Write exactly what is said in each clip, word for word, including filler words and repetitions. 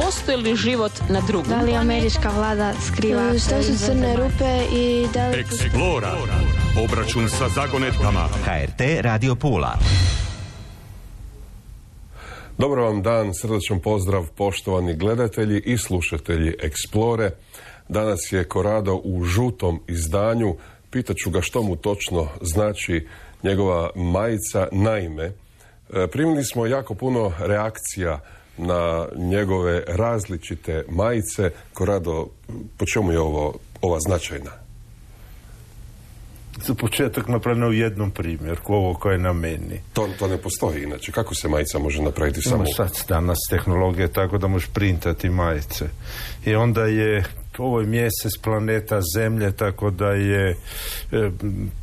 postoji li život na drugom? Da li američka vlada skriva? Što su crne rupe i da li... Explora. Obračun sa zagonetkama. H R T Radio Pula. Dobar vam dan, srdačan pozdrav poštovani gledatelji i slušatelji Explore. Danas je Corrado u žutom izdanju. Pitaću ga što mu točno znači njegova majica. Naime, primili smo jako puno reakcija na njegove različite majice. Corrado, po čemu je ovo, ova značajna? Za početak napravljeno u jednom primjerku, ovo koje je na meni. To, to ne postoji inače. Kako se majica može napraviti samo? No, sad danas tehnologija tako da možeš printati majice. I onda je ovo je mjesec planeta Zemlje, tako da je e,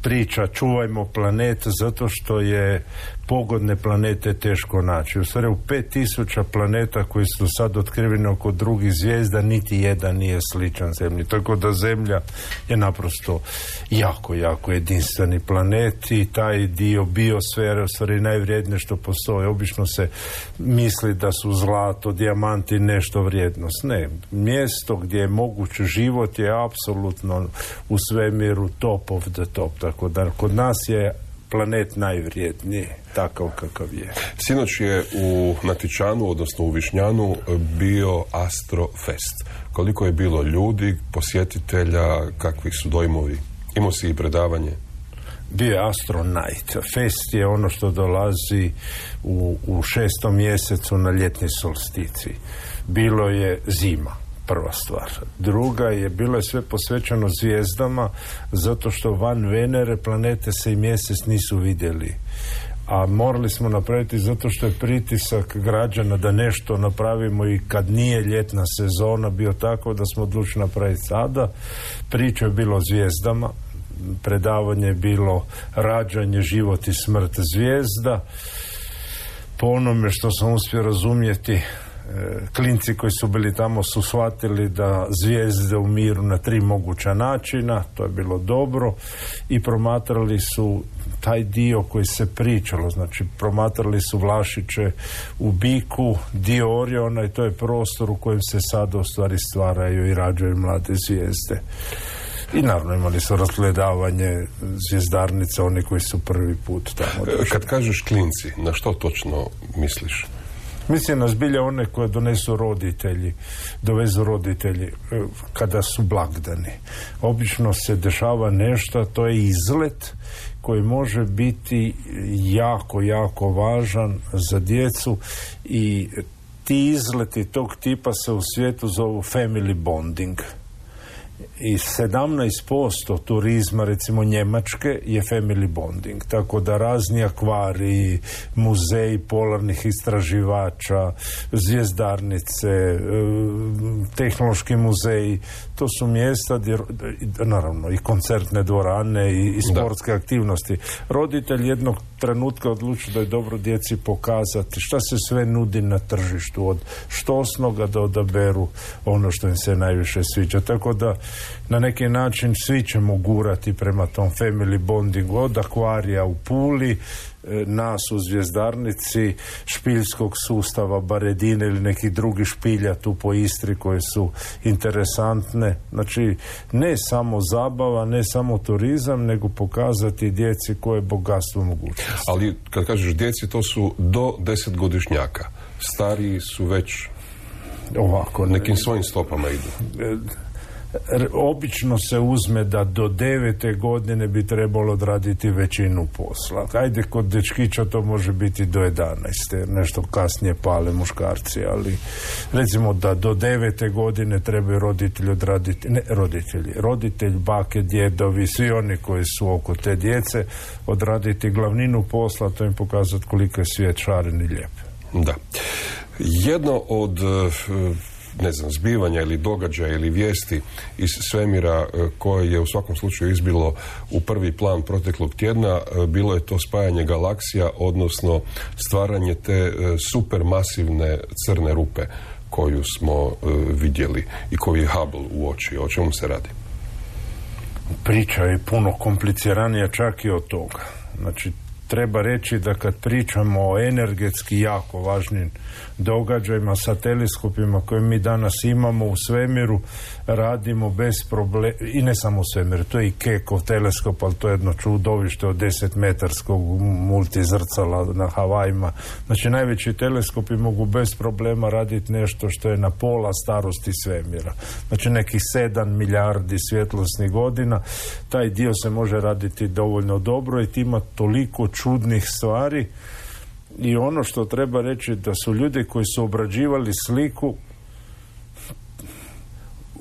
priča čuvajmo planet, zato što je pogodne planete teško naći. U stvari u pet tisuća planeta koji su sad otkriveni oko drugih zvijezda, niti jedan nije sličan Zemlji. Tako da Zemlja je naprosto jako, jako jedinstveni planet i taj dio biosfere u stvari najvrijednije što postoje. Obično se misli da su zlato, dijamanti nešto vrijednost. Ne, mjesto gdje je moguć život je apsolutno u svemiru top of the top. Tako da kod nas je planet najvrijedniji, takav kakav je. Sinoć je u Natičanu, odnosno u Višnjanu, bio Astrofest. Koliko je bilo ljudi, posjetitelja, kakvi su dojmovi? Imao si i predavanje? Bio je Astro Night. Fest je ono što dolazi u, u šestom mjesecu na ljetni solsticij. Bilo je zima. Prva stvar. Druga je, bilo je sve posvećeno zvijezdama, zato što van Venere planete se i mjesec nisu vidjeli. A morali smo napraviti zato što je pritisak građana da nešto napravimo i kad nije ljetna sezona bio tako da smo odlučili napraviti sada. Priča je bilo o zvijezdama, predavanje je bilo rađanje, život i smrt zvijezda. Po onome što sam uspio razumjeti, klinci koji su bili tamo su shvatili da zvijezde umiru na tri moguća načina, to je bilo dobro, i promatrali su taj dio koji se pričalo, znači promatrali su Vlašiće u biku, dio Oriona, i to je prostor u kojem se sada u stvari stvaraju i rađaju mlade zvijezde. I naravno imali su razgledavanje zvijezdarnica, oni koji su prvi put tamo došli. Kad kažeš klinci, na što točno misliš? Mislim na zbilje one koje donesu roditelji, dovezu roditelji kada su blagdani. Obično se dešava nešto, to je izlet koji može biti jako, jako važan za djecu i ti izleti tog tipa se u svijetu zovu family bonding. I sedamnaest posto turizma recimo Njemačke je family bonding, tako da razni akvariji, muzeji polarnih istraživača, zvijezdarnice, tehnološki muzeji, to su mjesta gdje, naravno i koncertne dvorane i, i sportske da. aktivnosti. Roditelj jednog trenutka odluči da je dobro djeci pokazati šta se sve nudi na tržištu, od štosnoga da odaberu ono što im se najviše sviđa. Tako da na neki način svi ćemo gurati prema tom family bondingu, od akvarija u Puli, nas u zvijezdarnici, špiljskog sustava Baredine ili nekih drugih špilja tu po Istri koje su interesantne. Znači, ne samo zabava, ne samo turizam, nego pokazati djeci koje je bogatstvo mogućnosti. Ali kad kažeš djeci, to su do desetgodišnjaka. Stariji su već ovako nekim svojim stopama idu. Obično se uzme da do devete godine bi trebalo odraditi većinu posla. Ajde, kod dečkića to može biti do jedanaeste, nešto kasnije pale muškarci, ali recimo da do devete godine trebaju roditelji odraditi, ne roditelji, roditelj, bake, djedovi, svi oni koji su oko te djece, odraditi glavninu posla, to im pokazati koliko je svijet šaren i lijep. Da. Jedno od ne znam, zbivanja ili događaja ili vijesti iz svemira koje je u svakom slučaju izbilo u prvi plan proteklog tjedna, bilo je to spajanje galaksija, odnosno stvaranje te supermasivne crne rupe koju smo vidjeli i koju je Hubble uočio. O čemu se radi? Priča je puno kompliciranija čak i od toga. Znači, treba reći da kad pričamo o energetski jako važnim događajima sa teleskopima koje mi danas imamo u svemiru, radimo bez problema, i ne samo u svemiru, to je i Keckov teleskop, ali to je jedno čudovište od deset metarskog multizrcala na Havajima. Znači najveći teleskopi mogu bez problema raditi nešto što je na pola starosti svemira. Znači nekih sedam milijardi svjetlosnih godina. Taj dio se može raditi dovoljno dobro i ima toliko čudnih stvari. I ono što treba reći da su ljudi koji su obrađivali sliku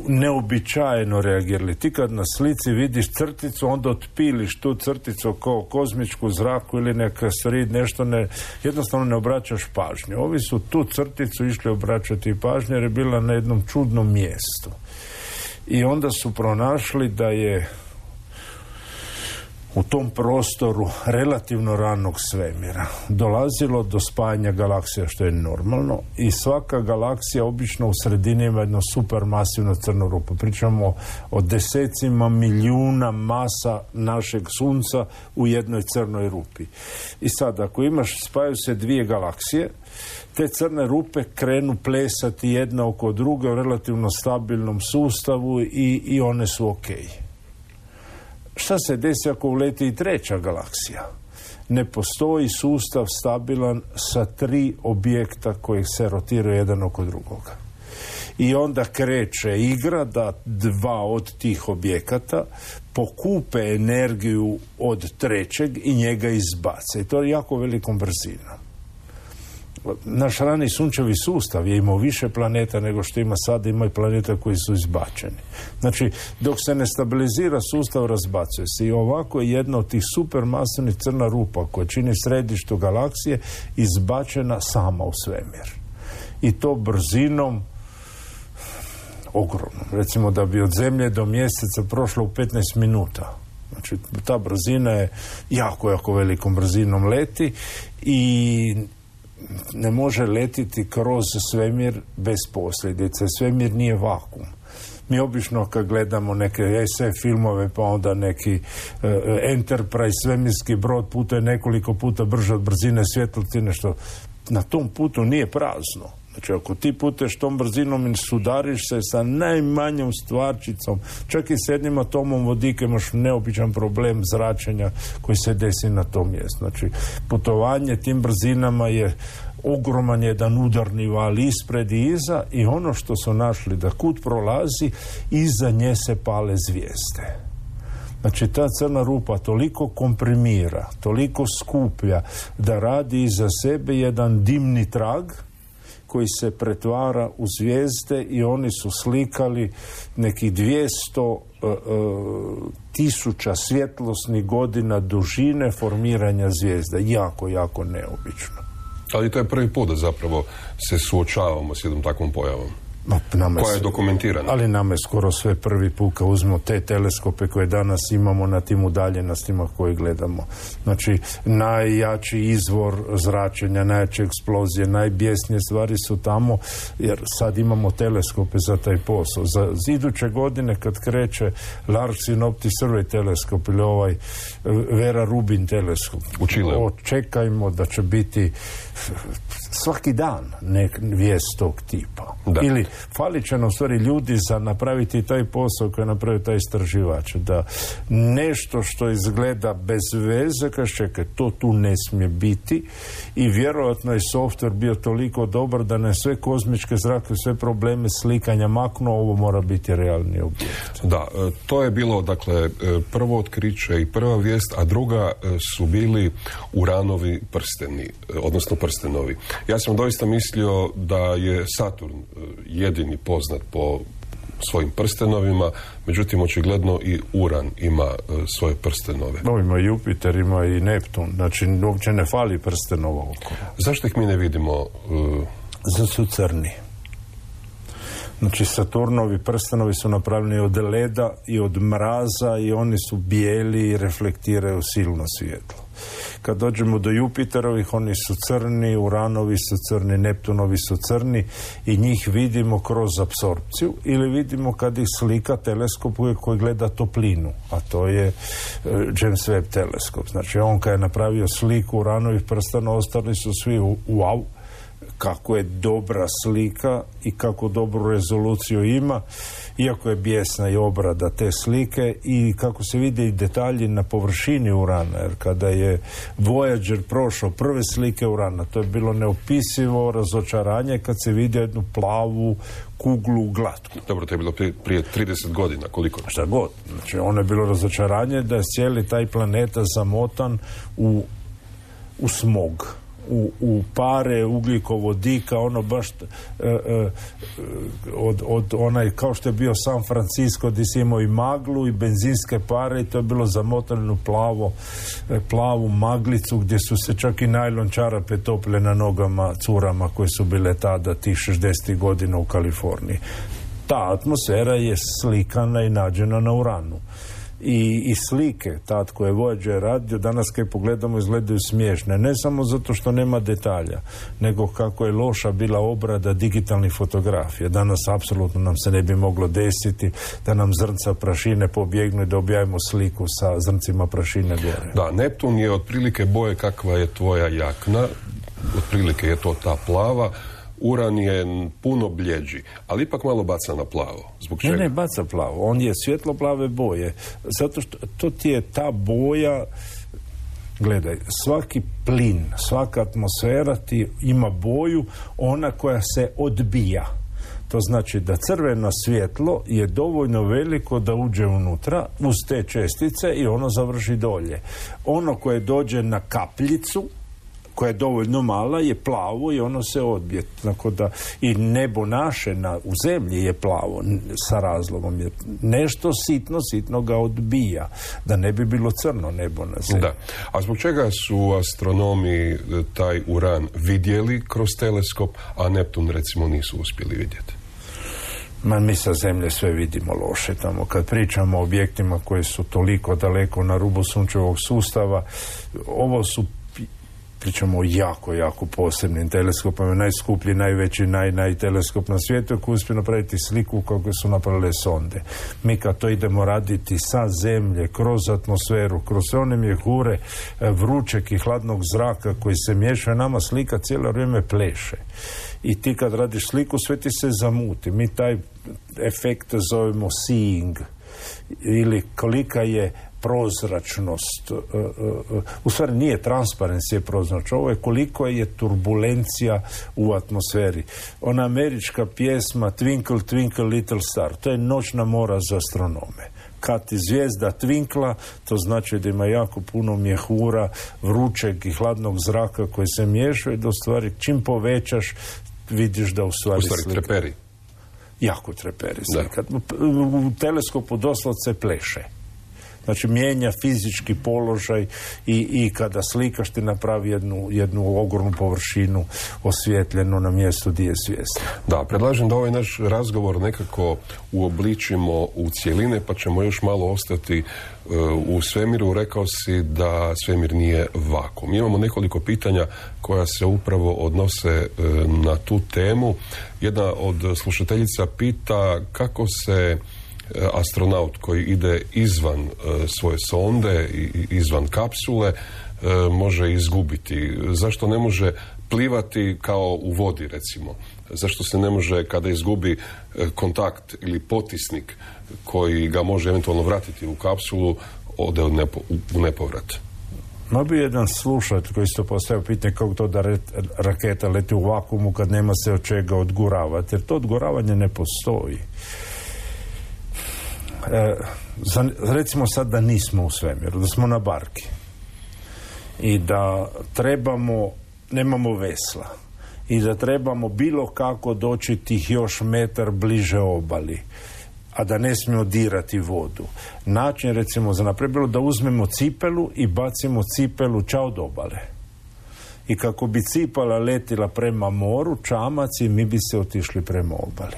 neobičajeno reagirali. Ti kad na slici vidiš crticu, onda otpiliš tu crticu kao kozmičku zraku ili neka srid, nešto ne, jednostavno ne obraćaš pažnju. Ovi su tu crticu išli obraćati pažnju jer je bila na jednom čudnom mjestu. I onda su pronašli da je u tom prostoru relativno ranog svemira dolazilo do spajanja galaksija, što je normalno, i svaka galaksija obično u sredini ima jedno supermasivno crnu rupu. Pričamo o desecima milijuna masa našeg sunca u jednoj crnoj rupi. I sad, ako imaš, spajaju se dvije galaksije, te crne rupe krenu plesati jedna oko druge u relativno stabilnom sustavu i, i one su okej. Šta se desi ako uleti i treća galaksija? Ne postoji sustav stabilan sa tri objekta koji se rotiraju jedan oko drugoga. I onda kreće igra da dva od tih objekata pokupe energiju od trećeg i njega izbace. I to je jako velikom brzinom. Naš rani sunčevi sustav je imao više planeta nego što ima sad, ima i planeta koji su izbačeni. Znači, dok se ne stabilizira sustav, razbacuje se. I ovako je jedna od tih supermasivnih crna rupa koja čini središtu galaksije izbačena sama u svemir. I to brzinom ogromnom. Recimo da bi od Zemlje do Mjeseca prošlo u petnaest minuta. Znači, ta brzina je jako, jako velikom brzinom leti i ne može letiti kroz svemir bez posljedice. Svemir nije vakuum. Mi obično kad gledamo neke es ef filmove, pa onda neki uh, Enterprise svemirski brod putuje nekoliko puta brže od brzine svjetlosti, nešto na tom putu nije prazno. Znači, ako ti puteš tom brzinom i sudariš se sa najmanjom stvarčicom, čak i s jednim atomom vodika, imaš neobičan problem zračenja koji se desi na tom mjestu. Znači, putovanje tim brzinama je ogroman jedan udarni val ispred i iza, i ono što su našli da kud prolazi, iza nje se pale zvijezde. Znači, ta crna rupa toliko komprimira, toliko skuplja da radi iza sebe jedan dimni trag koji se pretvara u zvijezde, i oni su slikali nekih dvjesto uh, uh, tisuća svjetlosnih godina dužine formiranja zvijezda. Jako, jako neobično. Ali to je prvi put da zapravo se suočavamo s jednom takvom pojavom. Nama koja je dokumentirana. Ali nama je skoro sve prvi put kad uzmemo te teleskope koje danas imamo na tim udaljenostima koje gledamo. Znači, najjači izvor zračenja, najjače eksplozije, najbijesnije stvari su tamo, jer sad imamo teleskope za taj posao. Za iduće godine kad kreće Large Synoptic Survey teleskop ili ovaj Vera Rubin teleskop, u Čileu, očekajmo da će biti svaki dan nek vijest tog tipa. Da. Ili falit će nam stvari ljudi za napraviti taj posao koji je napravio taj istraživač. Da nešto što izgleda bez veze, kaže, čekaj, to tu ne smije biti, i vjerojatno je software bio toliko dobar da na sve kozmičke zrake, sve probleme slikanja maknuo, ovo mora biti realni objekt. Da, to je bilo, dakle, prvo otkriće i prva vijest, a druga su bili Uranovi prsteni, odnosno prstenovi. Ja sam doista mislio da je Saturn jedini poznat po svojim prstenovima, međutim očigledno i Uran ima uh, svoje prstenove. No, ima Jupiter, ima i Neptun, znači uopće ne fali prstenova okolo. Zašto ih mi ne vidimo? Uh... Zato su crni. Znači, Saturnovi prstenovi su napravljeni od leda i od mraza, i oni su bijeli i reflektiraju silno svjetlo. Kad dođemo do Jupiterovih, oni su crni, Uranovi su crni, Neptunovi su crni i njih vidimo kroz apsorpciju ili vidimo kad ih slika teleskop koji gleda toplinu, a to je James Webb teleskop. Znači on kad je napravio sliku Uranovih prstana, ostali su svi wow, kako je dobra slika i kako dobru rezoluciju ima, iako je bijesna i obrada te slike i kako se vide i detalji na površini Urana, jer kada je Voyager prošao prve slike Urana, to je bilo neopisivo razočaranje kad se vidi jednu plavu kuglu glatku. Dobro, to je bilo prije, prije trideset godina, koliko? Šta god. Znači, ono je bilo razočaranje da je cijeli taj planeta zamotan u, u smog. U, u pare ugljikovodika, ono baš e, e, od, od onaj, kao što je bio San Francisco gdje si imao i maglu i benzinske pare i to je bilo zamotano plavo, e, plavu maglicu gdje su se čak i najlon čarape topile na nogama curama koje su bile tada tih šezdesetih godina u Kaliforniji. Ta atmosfera je slikana i nađena na Uranu. I, i slike tad koje je Voyager radio danas kad pogledamo izgledaju smiješne, ne samo zato što nema detalja, nego kako je loša bila obrada digitalnih fotografija. Danas apsolutno nam se ne bi moglo desiti da nam zrnca prašine pobjegnu i da objavimo sliku sa zrncima prašine gore. Da, Neptun je otprilike boje kakva je tvoja jakna, otprilike je to ta plava. Uran je puno bljeđi, ali ipak malo baca na plavo. Zbog čega? Ne, ne baca plavo. On je svjetlo plave boje. Zato što to ti je ta boja, gledaj, svaki plin, svaka atmosfera ti ima boju, ona koja se odbija. To znači da crveno svjetlo je dovoljno veliko da uđe unutra uz te čestice i ono završi dolje. Ono koje dođe na kapljicu, koja je dovoljno mala, je plavo i ono se odbije. Tako da i nebo naše na, u zemlji je plavo sa razlogom. Jer nešto sitno, sitno ga odbija. Da ne bi bilo crno nebo na zemlji. Da. A zbog čega su astronomi taj Uran vidjeli kroz teleskop, a Neptun recimo nisu uspjeli vidjeti? Ma mi sa zemlje sve vidimo loše tamo. Kad pričamo o objektima koji su toliko daleko na rubu sunčevog sustava, ovo su pričamo o jako, jako posebnim teleskopama, najskuplji, najveći, naj, naj teleskop na svijetu koji uspije napraviti sliku kako su napravile sonde. Mi kad to idemo raditi sa zemlje, kroz atmosferu, kroz sve one mjehure vrućeg i hladnog zraka koji se miješaju, nama slika cijelo vrijeme pleše. I ti kad radiš sliku, sve ti se zamuti. Mi taj efekt zovemo seeing, ili kolika je prozračnost, u stvari nije transparencija prozračnost, ovo je koliko je turbulencija u atmosferi. Ona američka pjesma Twinkle, Twinkle, Little Star, to je noćna mora za astronome. Kad ti zvijezda twinkla, to znači da ima jako puno mjehura, vrućeg i hladnog zraka koji se miješaju, da u stvari čim povećaš, vidiš da u stvari, u stvari treperi. Jako treperi slika. U teleskopu doslovce pleše. Znači mijenja fizički položaj i, i kada slikaš ti napravi jednu, jednu ogromnu površinu osvjetljenu na mjestu gdje je zvijezda. Da, predlažem da ovaj naš razgovor nekako uobličimo u cjeline, pa ćemo još malo ostati uh, u svemiru. Rekao si da svemir nije vakuum. Imamo nekoliko pitanja koja se upravo odnose uh, na tu temu. Jedna od slušateljica pita kako se astronaut koji ide izvan uh, svoje sonde i izvan kapsule uh, može izgubiti. Zašto ne može plivati kao u vodi, recimo? Zašto se ne može, kada izgubi uh, kontakt ili potisnik koji ga može eventualno vratiti u kapsulu, ode u, nepo, u nepovrat? Ma bi jedan slušatelj koji isto postavio pitanje kako to da re, raketa leti u vakuumu kad nema se od čega odguravati, jer to odguravanje ne postoji. E, za, recimo sad da nismo u svemiru, da smo na barki i da trebamo, nemamo vesla i da trebamo bilo kako doći tih još metar bliže obali, a da ne smijemo dirati vodu. Način recimo za naprijed bilo da uzmemo cipelu i bacimo cipelu ča od obale. I kako bi cipala letila prema moru, čamac, i mi bi se otišli prema obali.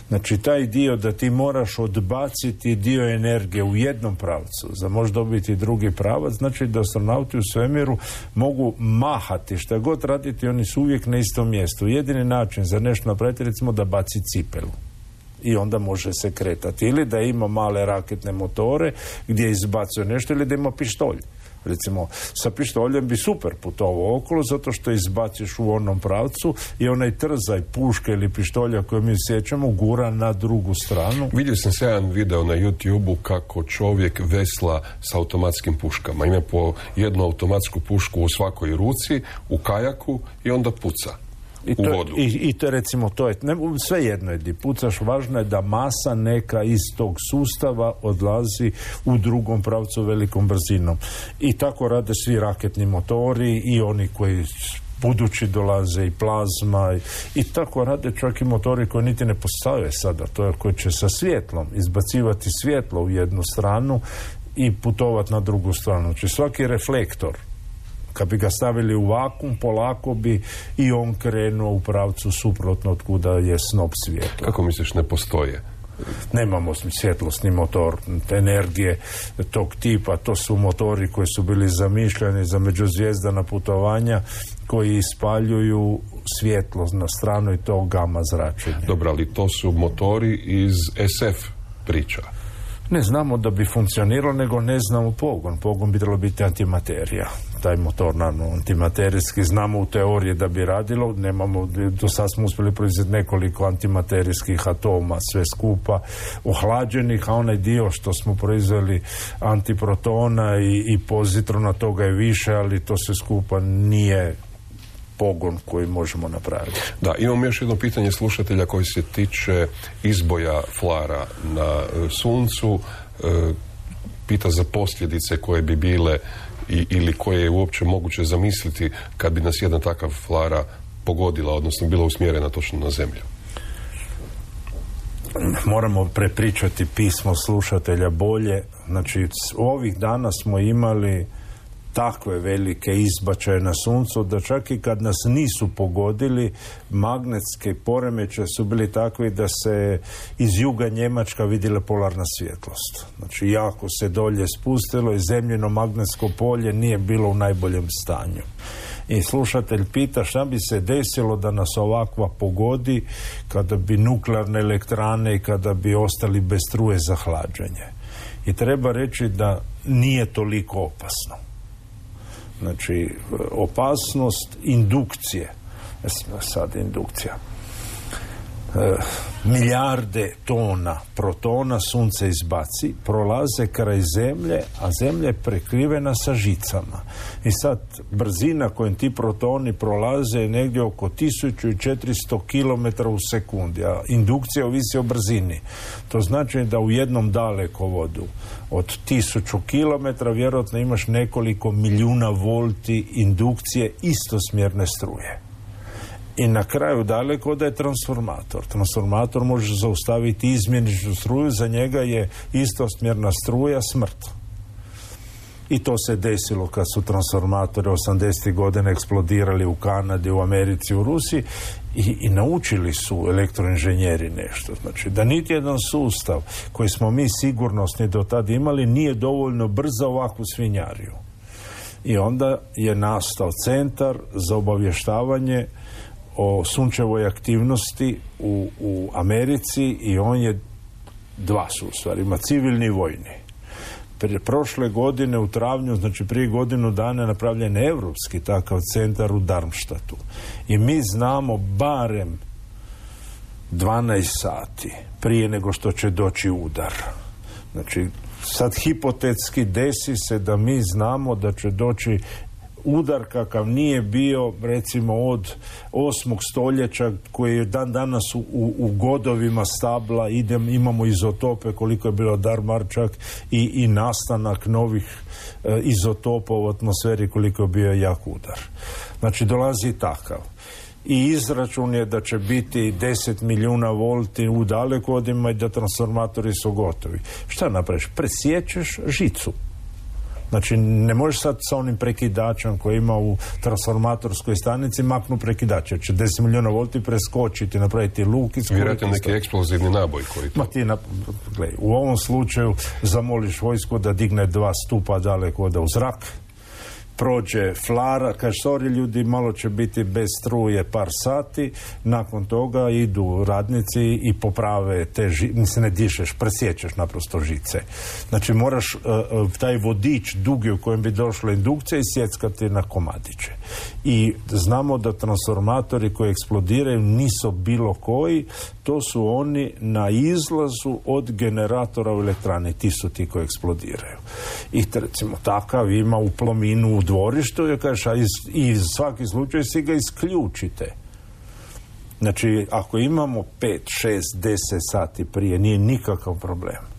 Znači, taj dio da ti moraš odbaciti dio energije u jednom pravcu, za možda dobiti drugi pravac, znači da astronauti u svemiru mogu mahati, šta god raditi, oni su uvijek na istom mjestu. Jedini način za nešto napraviti, recimo da baci cipelu. I onda može se kretati. Ili da ima male raketne motore gdje izbacuje nešto, ili da ima pištolj. Recimo, sa pištoljem bi super putovao okolo, zato što izbaciš u onom pravcu i onaj trzaj puške ili pištolja koje mi sjećamo gura na drugu stranu. Vidio sam se jedan video na YouTube-u kako čovjek vesla s automatskim puškama. Ima po jednu automatsku pušku u svakoj ruci, u kajaku i onda puca. I to, u vodu. I, i to recimo to je, ne, sve jedno je di pucaš, važno je da masa neka iz tog sustava odlazi u drugom pravcu velikom brzinom. I tako rade svi raketni motori i oni koji budući dolaze i plazma i, i tako rade čak i motori koji niti ne postoje sada, to je koji će sa svjetlom izbacivati svjetlo u jednu stranu i putovati na drugu stranu. Znači svaki reflektor, kad bi ga stavili u vakum, polako bi i on krenuo u pravcu suprotno od kuda je snop svjetla. Kako misliš ne postoje? Nemamo svjetlosni motor energije tog tipa. To su motori koji su bili zamišljeni za međuzvijezdana putovanja, koji ispaljuju svjetlo na stranu i to gama zračenje. Dobro, ali to su motori iz es ef priča. Ne znamo da bi funkcioniralo, nego ne znamo pogon. Pogon bi trebalo biti antimaterija. Taj motor, naravno, antimaterijski, znamo u teoriji da bi radilo, nemamo, do sad smo uspjeli proizvesti nekoliko antimaterijskih atoma, sve skupa, ohlađenih, a onaj dio što smo proizveli antiprotona i, i pozitrona, toga je više, ali to sve skupa nije pogon koji možemo napraviti. Da, imam još jedno pitanje slušatelja koji se tiče izboja flara na Suncu. E, pita za posljedice koje bi bile i, ili koje je uopće moguće zamisliti kad bi nas jedna takav flara pogodila, odnosno bila usmjerena točno na Zemlju. Moramo prepričati pismo slušatelja bolje. Znači, ovih dana smo imali takve velike izbačaje na Suncu da čak i kad nas nisu pogodili, magnetske poremećaje su bili takvi da se iz juga Njemačka vidjela polarna svjetlost. Znači jako se dolje spustilo i zemljino magnetsko polje nije bilo u najboljem stanju. I slušatelj pita šta bi se desilo da nas ovakva pogodi kada bi nuklearne elektrane i kada bi ostali bez struje za hlađenje. I treba reći da nije toliko opasno. Znači, opasnost indukcije, sad indukcija, e, milijarde tona protona Sunce izbaci, prolaze kraj Zemlje, a Zemlja je prekrivena sa žicama. I sad brzina kojom ti protoni prolaze je negdje oko tisuću četiristo kilometara u sekundi, a indukcija ovisi o brzini. To znači da u jednom dalekovodu od tisuću kilometara vjerojatno imaš nekoliko milijuna volti indukcije istosmjerne struje. I na kraju dalekovoda je transformator. Transformator može zaustaviti izmjeničnu struju, za njega je istosmjerna struja smrt. I to se desilo kad su transformatori osamdesetih godina eksplodirali u Kanadi, u Americi, u Rusiji i, i naučili su elektroinženjeri nešto. Znači da niti jedan sustav koji smo mi sigurnosni do tada imali nije dovoljno brzo za ovakvu svinjariju. I onda je nastao centar za obavještavanje o sunčevoj aktivnosti u, u Americi i on je dva su u stvari, ima civilni i vojni. Prije prošle godine u travnju, znači prije godinu dana je napravljen europski takav centar u Darmstadtu. I mi znamo barem dvanaest sati prije nego što će doći udar. Znači, sad hipotetski desi se da mi znamo da će doći udar kakav nije bio recimo od osmog stoljeća koji je dan danas u, u godovima stabla, idem, imamo izotope koliko je bilo Darmarčak i, i nastanak novih e, izotopa u atmosferi koliko je bio jak udar. Znači dolazi takav. I izračun je da će biti deset milijuna volti u dalekovodima i da transformatori su gotovi. Šta napraviš? Presjećeš žicu. Znači, ne možeš sad sa onim prekidačem koji ima u transformatorskoj stanici maknu prekidač, jer će deset milijuna volti preskočiti, napraviti luk i skoriti. Vjerojatno neki eksplozivni naboj koji to... Ma ti, na, gledaj, u ovom slučaju zamoliš vojsku da digne dva stupa daleko oda u zrak, prođe flara, kaže, sorry ljudi, malo će biti bez struje par sati, nakon toga idu radnici i poprave te žice, mislim, ne dišeš, presjećeš naprosto žice. Znači, moraš uh, uh, taj vodič dugi u kojem bi došla indukcija isjeckati na komadiće. I znamo da transformatori koji eksplodiraju nisu bilo koji, to su oni na izlazu od generatora u elektrani, ti su ti koji eksplodiraju. I recimo takav ima u Plominu u dvorištu, je kažeš, a iz, iz svaki slučaj si ga isključite. Znači, ako imamo pet, šest, deset sati prije, nije nikakav problem.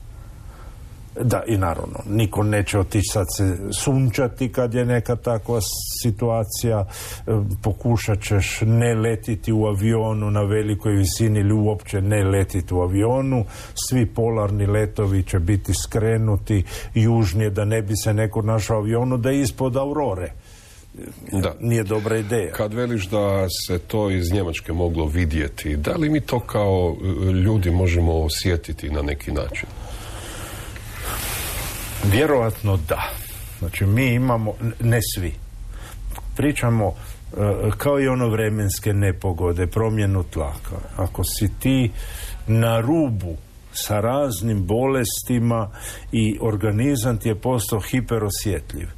Da, i naravno, niko neće otići sad se sunčati kad je neka takva situacija, pokušat ćeš ne letiti u avionu na velikoj visini ili uopće ne letiti u avionu, svi polarni letovi će biti skrenuti južnije da ne bi se neko našao u avionu da je ispod aurore. Da. Nije dobra ideja. Kad veliš da se to iz Njemačke moglo vidjeti, da li mi to kao ljudi možemo osjetiti na neki način? Vjerojatno da. Znači, mi imamo, ne svi, pričamo uh, kao i ono vremenske nepogode, promjenu tlaka. Ako si ti na rubu sa raznim bolestima i organizam ti je postao hiperosjetljiv,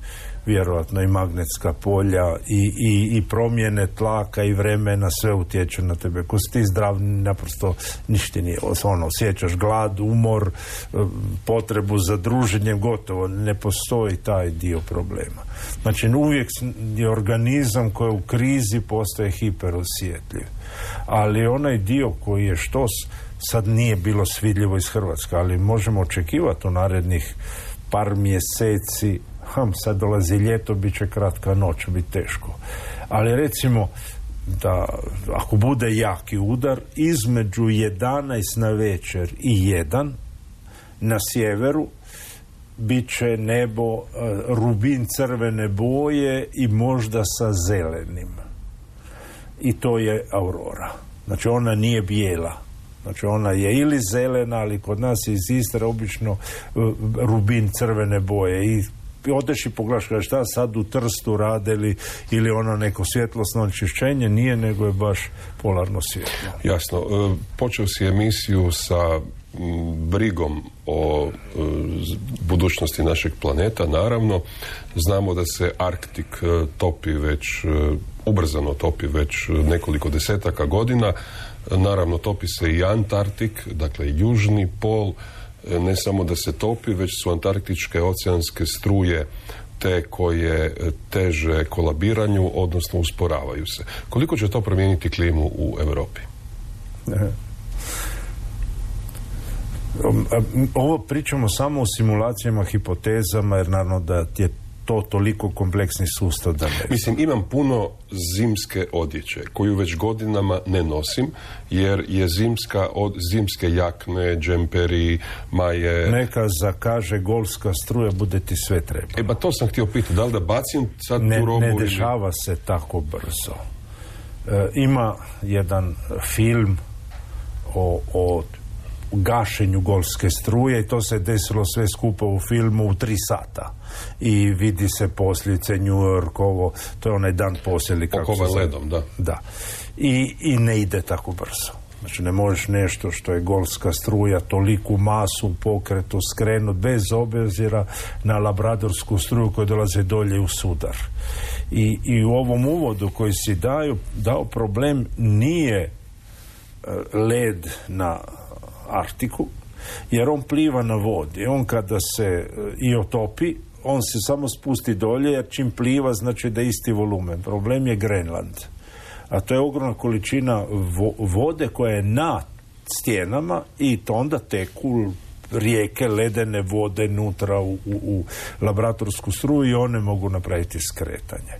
vjerojatno i magnetska polja i, i, i promjene tlaka i vremena, sve utječe na tebe. Ko si ti zdrav, naprosto ništa nije. Ono, osjećaš glad, umor, potrebu za druženjem, gotovo, ne postoji taj dio problema. Znači, uvijek je organizam koji u krizi postaje hiperosjetljiv. Ali onaj dio koji je štos, sad nije bilo svidljivo iz Hrvatske, ali možemo očekivati u narednih par mjeseci. Ham, sad dolazi ljeto, bit će kratka noć, bit teško. Ali recimo da ako bude jaki udar, između jedanaest na večer i jedan na sjeveru bit će nebo uh, rubin crvene boje i možda sa zelenim. I to je aurora. Znači, ona nije bijela. Znači, ona je ili zelena, ali kod nas je iz Istre obično uh, rubin crvene boje. I odeš i pogledaš, kada šta sad u Trstu rade ili, ili ono neko svjetlosno onečišćenje, nije, nego je baš polarno svjetlo. Jasno. E, počeo si emisiju sa m, brigom o e, budućnosti našeg planeta, naravno. Znamo da se Arktik e, topi već, e, ubrzano topi već nekoliko desetaka godina. Naravno, topi se i Antarktik, dakle južni pol. Ne samo da se topi, već su antarktičke oceanske struje te koje teže kolabiranju, odnosno usporavaju se. Koliko će to promijeniti klimu u Europi? Ovo pričamo samo o simulacijama, hipotezama, jer naravno da je to toliko kompleksni sustav da ne... Mislim, imam puno zimske odjeće koju već godinama ne nosim, jer je zimska od zimske jakne, džemperi, maje... Neka zakaže golfska struja, bude ti sve treba. E ba to sam htio pitati, da li da bacim sad ne, tu robu? Ne dešava ili... se tako brzo. E, ima jedan film o, o gašenju golfske struje i to se desilo sve skupo u filmu u tri sata. I vidi se posljedice New York, ovo, to je onaj dan poslije. Pokova ledom, da. Da. I, I ne ide tako brzo. Znači, ne možeš nešto što je golfska struja, toliku masu u pokretu skrenut bez obzira na labradorsku struju koja dolaze dolje u sudar. I, i u ovom uvodu koji si daju, dao problem nije led na Arktiku, jer on pliva na vodi. On kada se i otopi, on se samo spusti dolje, jer čim pliva znači da je isti volumen. Problem je Grenland. A to je ogromna količina vo- vode koja je na stijenama i to onda teku rijeke ledene vode nutra u, u, u laboratorsku struju i one mogu napraviti skretanje.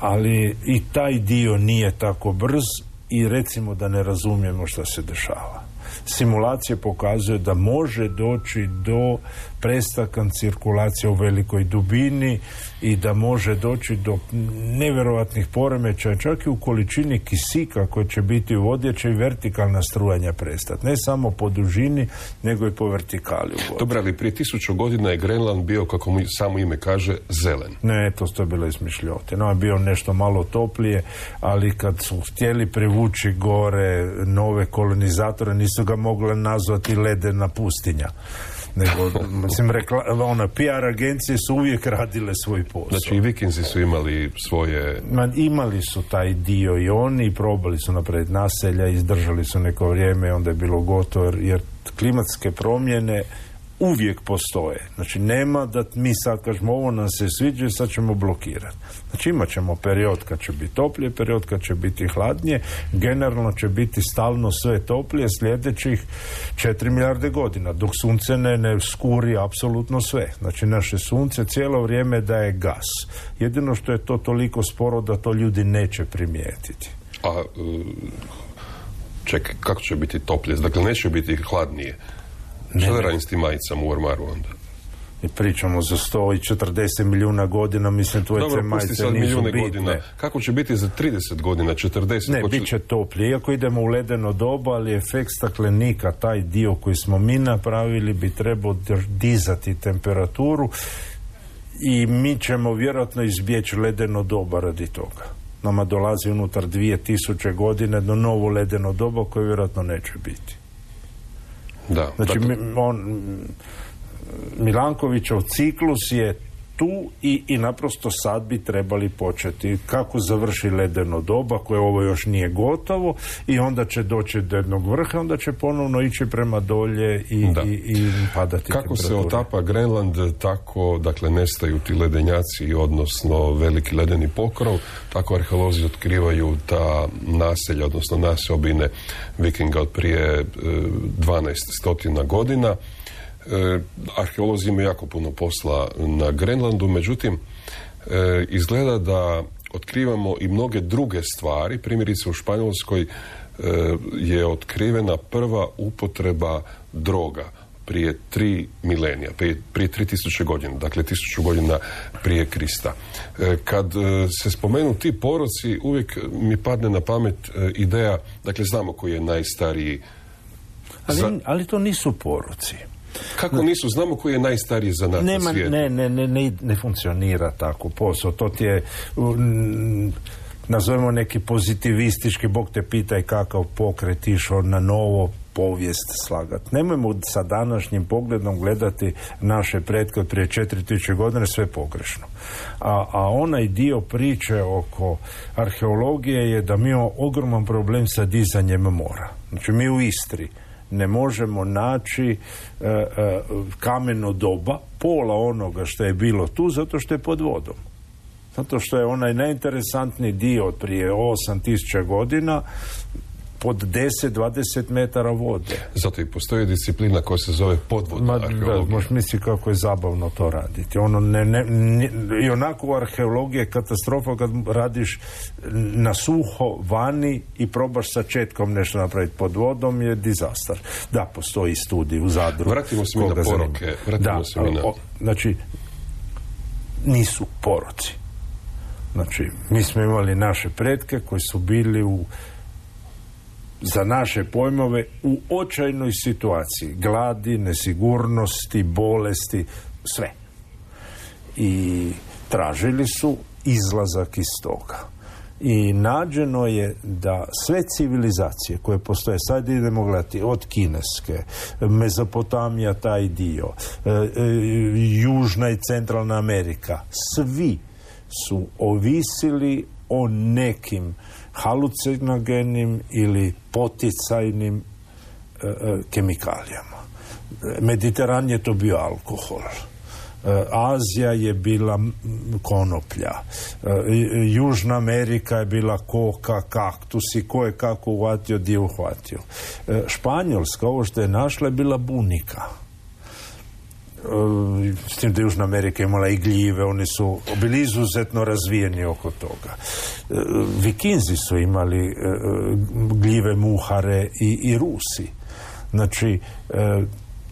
Ali i taj dio nije tako brz i recimo da ne razumijemo što se dešava. Simulacije pokazuju da može doći do prestanka cirkulacije u velikoj dubini i da može doći do nevjerojatnih poremećaja, čak i u količini kisika koji će biti u vodi, će i vertikalna strujanja prestati. Ne samo po dužini, nego i po vertikali u vodi. Dobro, ali prije tisuću godina je Grenland bio, kako mu samo ime kaže, zelen. Ne, to je bilo izmišljotina. On je bio nešto malo toplije, ali kad su htjeli privući gore nove kolonizatore, nisu ga mogli nazvati ledena pustinja. Nego, mislim, rekla, ona, P R agencije su uvijek radile svoj posao. Znači i Vikinzi su imali svoje... Ma, imali su taj dio i oni i probali su napraviti naselja, izdržali su neko vrijeme i onda je bilo gotovo, jer, jer klimatske promjene uvijek postoje. Znači nema da mi sad kažemo ovo nam se sviđa i sad ćemo blokirati. Znači imat ćemo period kad će biti toplije, period kad će biti hladnije, generalno će biti stalno sve toplije sljedećih četiri milijarde godina, dok sunce ne, ne skuri apsolutno sve. Znači naše sunce cijelo vrijeme daje gas. Jedino što je to toliko sporo da to ljudi neće primijetiti. A čekaj, kako će biti toplije? Dakle, neće biti hladnije. Što da radim s tim majicama u ormaru onda? I pričamo za sto četrdeset milijuna godina, mislim, tvoje te majice nisu bitne. Godina. Kako će biti za trideset godina, četrdeset? Ne, bit će toplije. Iako idemo u ledeno doba, ali efekt staklenika, taj dio koji smo mi napravili, bi trebao dizati temperaturu i mi ćemo vjerojatno izbjeći ledeno doba radi toga. Nama dolazi unutar dvije tisuće godine do novo ledeno doba koje vjerojatno neće biti. Da, znači, dakle... on, Milankovićov ciklus je tu i, i naprosto sad bi trebali početi kako završi ledeno doba, koje ovo još nije gotovo, i onda će doći do jednog vrha, onda će ponovno ići prema dolje i, i, i padati kako temperatura. Se otapa Grenland, tako dakle nestaju ti ledenjaci, odnosno veliki ledeni pokrov, tako arheolozi otkrivaju ta naselja, odnosno naseobine Vikinga od prije dvanaest stotina godina. E, arheolozi imaju jako puno posla na Grenlandu, međutim e, izgleda da otkrivamo i mnoge druge stvari. Primjerice u Španjolskoj e, je otkrivena prva upotreba droga prije tri milenija, prije, prije tri tisuće godina, dakle tisuću godina prije Krista. E, kad e, se spomenu ti poroci, uvijek mi padne na pamet e, ideja, dakle znamo koji je najstariji... Ali, za... ali to nisu poroci. Kako nisu? Znamo koji je najstariji zanat na svijetu. Ne, ne, ne, ne, ne funkcionira tako posao. To ti je, m, nazovemo neki pozitivistički, Bog te pitaj kakav pokret išao na novo povijest slagat. Nemojmo sa današnjim pogledom gledati naše pretke prije četiri tisuće godina, sve pogrešno. A, a onaj dio priče oko arheologije je da mi imamo ogroman problem sa dizanjem mora. Znači mi u Istri ne možemo naći e, e, kameno doba, pola onoga što je bilo tu, zato što je pod vodom. Zato što je onaj najinteresantniji dio od prije osam tisuća godina pod deset do dvadeset metara vode. Zato i postoji disciplina koja se zove podvodna arheologija. Da, možeš misliti kako je zabavno to raditi. Ono ne, ne, ne, i onako u arheologiji je katastrofa kad radiš na suho vani i probaš sa četkom nešto napraviti pod vodom, je dizastar. Da, postoji studij u Zadru. Vratimo se mi na poroke. Vratimo da, se mi na... O, znači, nisu poroci. Znači, mi smo imali naše pretke koji su bili u za naše pojmove u očajnoj situaciji, gladi, nesigurnosti, bolesti, sve. I tražili su izlazak iz toga. I nađeno je da sve civilizacije koje postoje, sad idemo gledati od kineske, Mezopotamija, taj dio, e, e, Južna i Centralna Amerika, svi su ovisili o nekim halucinogenim ili poticajnim e, e, kemikalijama. Mediteran je to bio alkohol. E, Azija je bila konoplja. E, Južna Amerika je bila koka, kaktusi, ko je kako uhvatio, dio uhvatio. E, Španjolska, ovo što je našla, je bila bunika. S tim da Južna Amerika imala i gljive, oni su bili izuzetno razvijeni oko toga. Vikinzi su imali gljive, muhare i, i Rusi. Znači, e,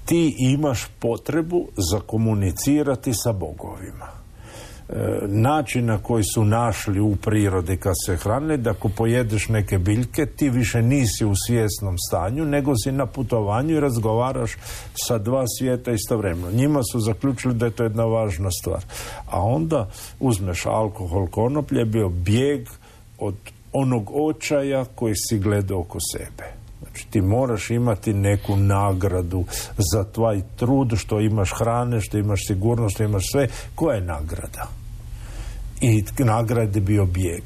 ti imaš potrebu za komunicirati sa bogovima. E, način na koji su našli u prirodi kad se hranili, da ako pojedeš neke biljke, ti više nisi u svjesnom stanju, nego si na putovanju i razgovaraš sa dva svijeta istovremeno. Njima su zaključili da je to jedna važna stvar. A onda uzmeš alkohol, konoplje, bio bijeg od onog očaja koji si gledao oko sebe. Znači, ti moraš imati neku nagradu za tvoj trud, što imaš hrane, što imaš sigurnost, što imaš sve. Koja je nagrada? I nagrada je bio bijeg.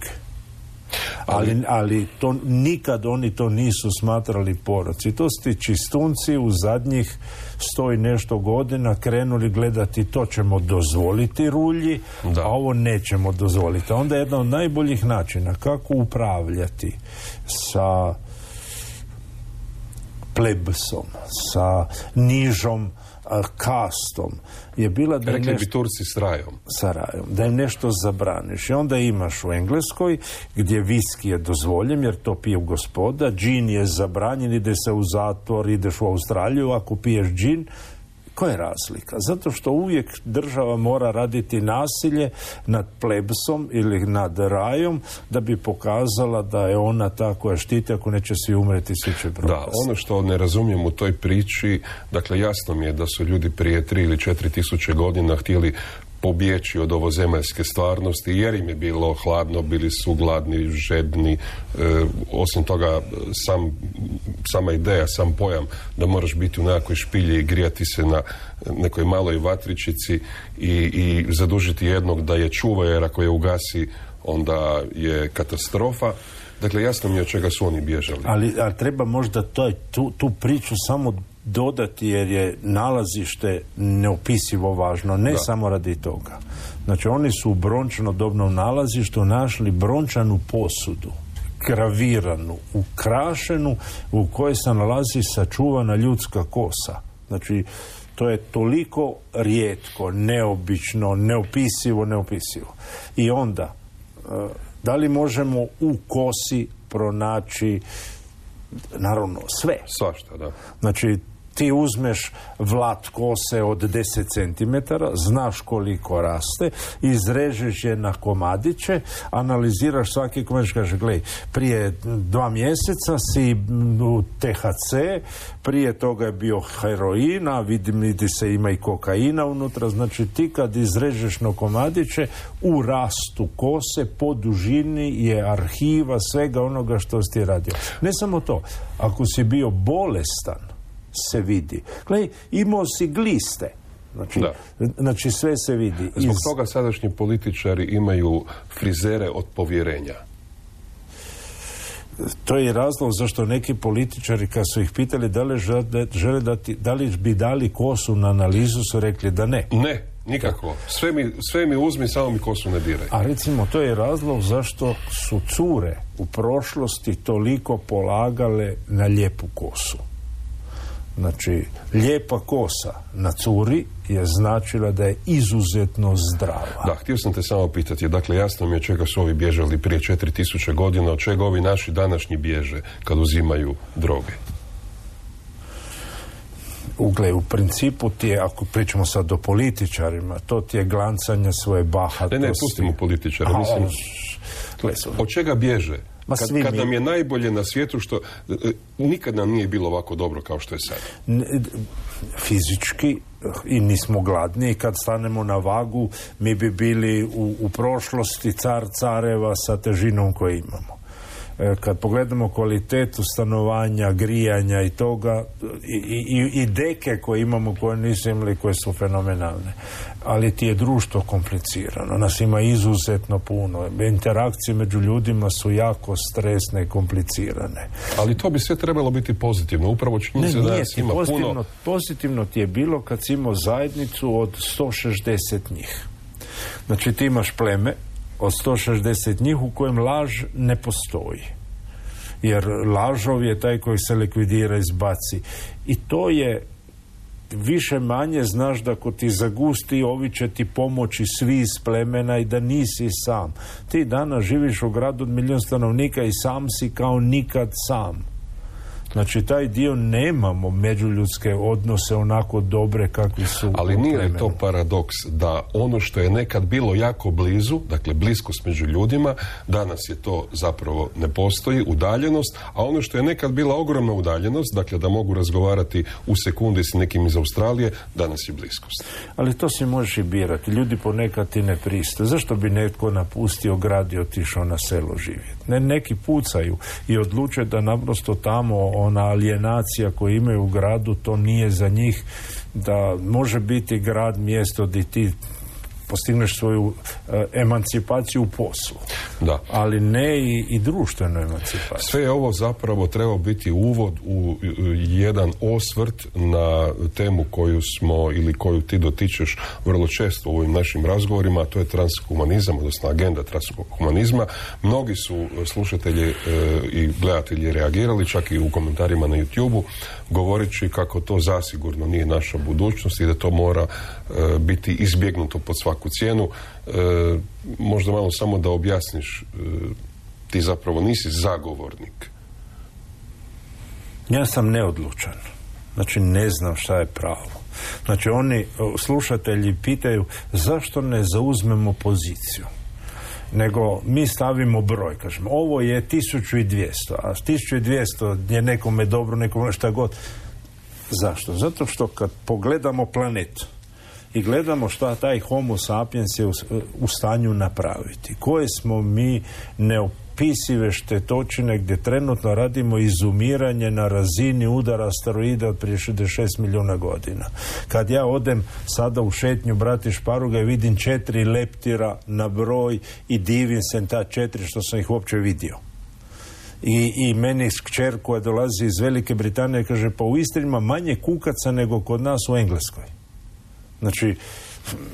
Ali, ali to, nikad oni to nisu smatrali poroci. To su ti čistunci u zadnjih sto i nešto godina krenuli gledati, to ćemo dozvoliti rulji, da. A ovo nećemo dozvoliti. Onda je jedan od najboljih načina kako upravljati sa plebsom, sa nižom a, kastom je bila da rekli nešto, bi Turci s rajom. Sa rajom, da im nešto zabraniš. I onda imaš u Engleskoj gdje viski je dozvoljen jer to pije gospoda, džin je zabranjen, ide se u zatvor, ideš u Australiju, ako piješ džin. Koja je razlika? Zato što uvijek država mora raditi nasilje nad plebsom ili nad rajom da bi pokazala da je ona ta koja štiti, ako neće svi umreti, svi će propasti. Da, ono što ne razumijem u toj priči, dakle jasno mi je da su ljudi prije tri ili četiri tisuće godina htjeli pobjeći od ovozemaljske stvarnosti jer im je bilo hladno, bili su gladni, žedni. E, osim toga, sam, sama ideja, sam pojam da moraš biti u nekakvoj špilji i grijati se na nekoj maloj vatričici i, i zadužiti jednog da je čuva, jer ako je ugasi onda je katastrofa. Dakle, jasno mi je od čega su oni bježali. Ali, ali treba možda toj, tu, tu priču samo dodati jer je nalazište neopisivo važno, ne da. Samo radi toga. Znači, oni su u brončano-dobnom nalazištu našli brončanu posudu, graviranu, ukrašenu, u kojoj se nalazi sačuvana ljudska kosa. Znači, to je toliko rijetko, neobično, neopisivo, neopisivo. I onda, da li možemo u kosi pronaći, naravno, sve. Svašta, da. Znači, ti uzmeš vlat kose od deset centimetara, znaš koliko raste, izrežeš je na komadiće, analiziraš svaki komadić, kaže, gledaj, prije dva mjeseca si u T H C, prije toga je bio heroin, a vidim, vidi se ima i kokaina unutra, znači ti kad izrežeš na komadiće, u rastu kose, po dužini je arhiva svega onoga što si ti radio. Ne samo to, ako si bio bolestan, se vidi. Gledaj, imao si gliste. Znači, znači sve se vidi. Zbog Iz... toga sadašnji političari imaju frizere od povjerenja. To je razlog zašto neki političari, kad su ih pitali da li žele dati, da li bi dali kosu na analizu, su rekli da ne. Ne, nikako. Sve mi, sve mi uzmi, samo mi kosu ne diraj. A recimo, to je razlog zašto su cure u prošlosti toliko polagale na lijepu kosu. Znači, lijepa kosa na curi je značila da je izuzetno zdrava. Da, htio sam te samo pitati, dakle, jasno mi je od čega su ovi bježali prije četiri tisuće godina, od čega ovi naši današnji bježe kad uzimaju droge? Ugle, u principu ti je, ako pričamo sad o političarima, to ti je glancanje svoje bahatosti. Ne, ne, pustimo političara, mislim, od čega bježe? Kad, kad nam je najbolje na svijetu, što e, nikad nam nije bilo ovako dobro kao što je sad. Fizički i nismo gladni, kad stanemo na vagu mi bi bili u, u prošlosti car careva sa težinom koju imamo. E, kad pogledamo kvalitetu stanovanja, grijanja i toga i, i, i deke koje imamo, koje nisu imali, koje su fenomenalne. Ali ti je društvo komplicirano. Nas ima izuzetno puno. Interakcije među ljudima su jako stresne i komplicirane. Ali to bi sve trebalo biti pozitivno. Upravo činjenica da nas ima pozitivno, puno. Pozitivno ti je bilo kad si imao zajednicu od sto šezdeset njih. Znači ti imaš pleme od sto šezdeset njih u kojem laž ne postoji. Jer lažov je taj koji se likvidira, izbaci. I to je više manje, znaš da ako ti zagusti, ovi će ti pomoći svi iz plemena i da nisi sam. Ti danas živiš u gradu od milijun stanovnika i sam si kao nikad sam. Znači, taj dio nemamo međuljudske odnose onako dobre kakvi su. Ali nije li to paradoks da ono što je nekad bilo jako blizu, dakle bliskost među ljudima, danas je to zapravo ne postoji, udaljenost, a ono što je nekad bila ogromna udaljenost, dakle da mogu razgovarati u sekundi s nekim iz Australije, danas je bliskost. Ali to si možeš i birati. Ljudi ponekad ti ne pristaju. Zašto bi netko napustio grad i otišao na selo živjeti? Ne, neki pucaju i odluče da naprosto tamo ona alijenacija koju imaju u gradu, to nije za njih, da može biti grad mjesto gdje ti postigneš svoju uh, emancipaciju u poslu. Da. Ali ne i, i društvenu emancipaciju. Sve je ovo zapravo trebao biti uvod u jedan osvrt na temu koju smo ili koju ti dotičeš vrlo često u ovim našim razgovorima, a to je transhumanizam, odnosno agenda transhumanizma. Mnogi su slušatelji e, i gledatelji reagirali, čak i u komentarima na YouTubeu, govoreći kako to zasigurno nije naša budućnost i da to mora e, biti izbjegnuto pod svaku cijenu. E, možda malo samo da objasniš, e, ti zapravo nisi zagovornik. Ja sam neodlučan. Znači, ne znam šta je pravo. Znači, oni, slušatelji, pitaju zašto ne zauzmemo poziciju. Nego mi stavimo broj, kažemo, ovo je tisuću dvjesto, a tisuću dvjesto je nekome dobro, nekome šta god. Zašto? Zato što kad pogledamo planetu i gledamo šta taj homo sapiens je u, u stanju napraviti, koje smo mi neopisive štetočine gdje trenutno radimo izumiranje na razini udara asteroida od prije šezdeset šest milijuna godina. Kad ja odem sada u šetnju brati Šparuga i vidim četiri leptira na broj i divim se ta četiri što sam ih uopće vidio. I, i meni kćer koja dolazi iz Velike Britanije kaže, pa u Istri ima manje kukaca nego kod nas u Engleskoj. Znači,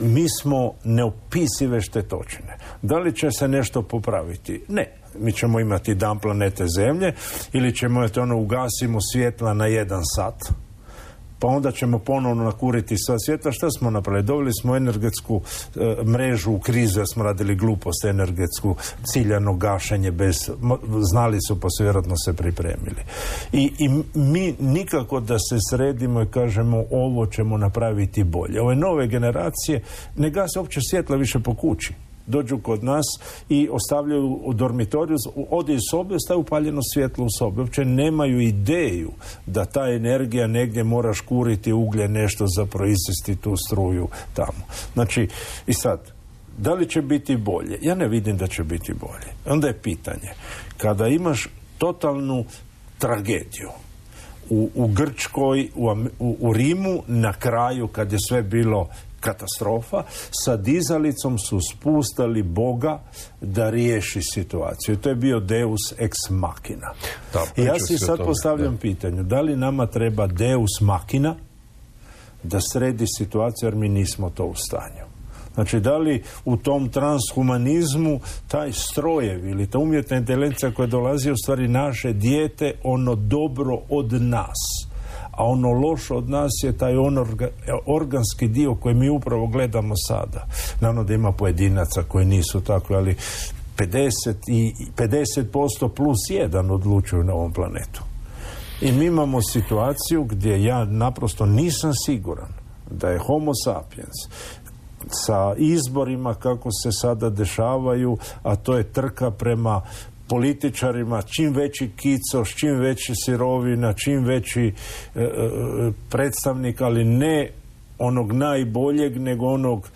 mi smo neopisive štetočine. Da li će se nešto popraviti? Ne. Mi ćemo imati dan planete Zemlje ili ćemo imati ono, ugasimo svjetla na jedan sat, pa onda ćemo ponovno nakuriti sva svjetla. Šta smo napravili? Doveli smo energetsku e, mrežu u krizu, jer smo radili glupost, energetsku ciljano gašenje bez, znali su pa su vjerojatno se pripremili. I, i mi nikako da se sredimo i kažemo ovo ćemo napraviti bolje. Ove nove generacije ne gase uopće svjetla više po kući. Dođu kod nas i ostavljaju u dormitoriju, ode iz sobe, ostaje upaljeno svjetlo u sobi. Uopće nemaju ideju da ta energija negdje mora škuriti uglje, nešto za proizvesti tu struju tamo. Znači, i sad, da li će biti bolje? Ja ne vidim da će biti bolje. Onda je pitanje, kada imaš totalnu tragediju u, u Grčkoj, u, u, u Rimu, na kraju kad je sve bilo katastrofa, sa dizalicom su spustali Boga da riješi situaciju. To je bio Deus ex machina. Da, I ja si sad postavljam da. pitanje, da li nama treba Deus machina da sredi situaciju, jer mi nismo to u stanju. Znači, da li u tom transhumanizmu taj strojev ili ta umjetna inteligencija koja dolazi u stvari naše dijete, ono dobro od nas, a ono loše od nas je taj onorga, organski dio koji mi upravo gledamo sada. Naravno da ima pojedinaca koji nisu tako, ali pedeset i pedeset posto plus jedan odlučuju na ovom planetu. I mi imamo situaciju gdje ja naprosto nisam siguran da je homo sapiens sa izborima kako se sada dešavaju, a to je trka prema političarima, čim veći kicoš, čim veći sirovina, čim veći e, e, predstavnik, ali ne onog najboljeg, nego onog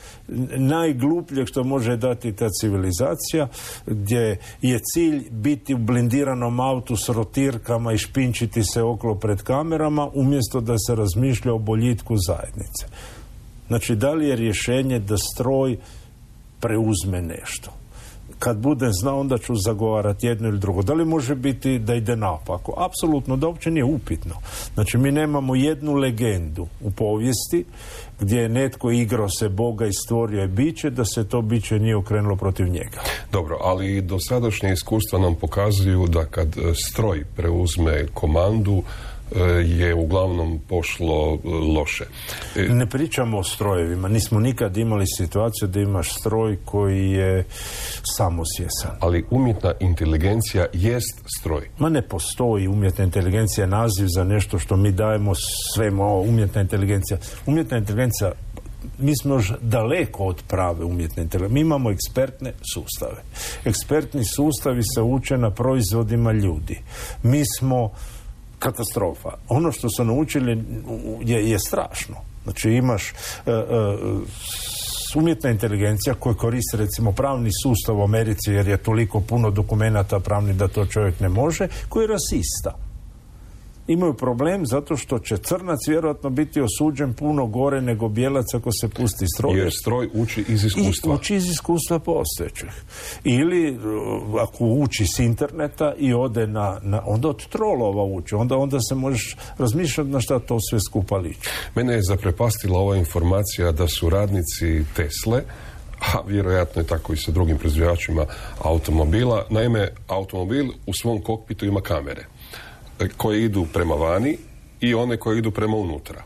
najglupljeg što može dati ta civilizacija, gdje je cilj biti u blindiranom autu s rotirkama i špinčiti se okolo pred kamerama, umjesto da se razmišlja o boljitku zajednice. Znači, da li je rješenje da stroj preuzme nešto? Kad budem znao, onda ću zagovarati jedno ili drugo. Da li može biti da ide naopako? Apsolutno, da uopće nije upitno. Znači, mi nemamo jednu legendu u povijesti gdje je netko igrao se Boga i stvorio je biće, da se to biće nije okrenulo protiv njega. Dobro, ali dosadašnje iskustva nam pokazuju da kad stroj preuzme komandu, je uglavnom pošlo loše. Ne pričamo o strojevima. Nismo nikad imali situaciju da imaš stroj koji je samosvjestan. Ali umjetna inteligencija jest stroj. Ma ne postoji umjetna inteligencija, naziv za nešto što mi dajemo svemu. Ovo, umjetna inteligencija. Umjetna inteligencija, mi smo još daleko od prave umjetne inteligencije. Mi imamo ekspertne sustave. Ekspertni sustavi se uče na proizvodima ljudi. Mi smo katastrofa. Ono što su naučili je, je strašno. Znači imaš uh, uh, umjetna inteligencija koja koristi recimo pravni sustav u Americi jer je toliko puno dokumenata pravni da to čovjek ne može, koji je rasista. Imaju problem zato što će crnac vjerojatno biti osuđen puno gore nego bijelac ako se pusti stroj. Jer stroj uči iz iskustva. I uči iz iskustva postojećih. Ili ako uči s interneta i ode na, na onda od trolova uči. Onda, onda se možeš razmišljati na šta to sve skupa liči. Mene je zaprepastila ova informacija da su radnici Tesle, a vjerojatno je tako i sa drugim proizvođačima automobila. Naime, automobil u svom kokpitu ima kamere koje idu prema vani i one koje idu prema unutra.